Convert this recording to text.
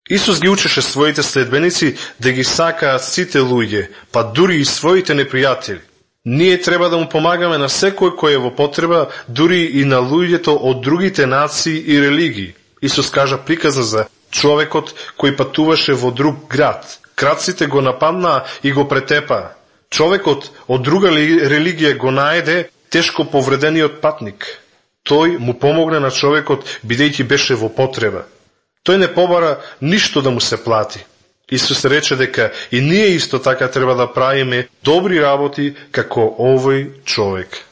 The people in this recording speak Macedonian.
Исус ги учеше своите следбеници да ги сакаат сите луѓе, па дури и своите непријатели. Ние треба да му помагаме на секој кој е во потреба, дури и на луѓето од другите нации и религии. Исус кажа приказна за човекот кој патуваше во друг град. Крадците го нападнаа и го претепаа. Човекот од друга религија го наеде тешко повредениот патник. Тој му помогне на човекот бидејќи беше во потреба. Тој не побара ништо да му се плати. Исус рече дека и ние исто така треба да правиме добри работи како овој човек.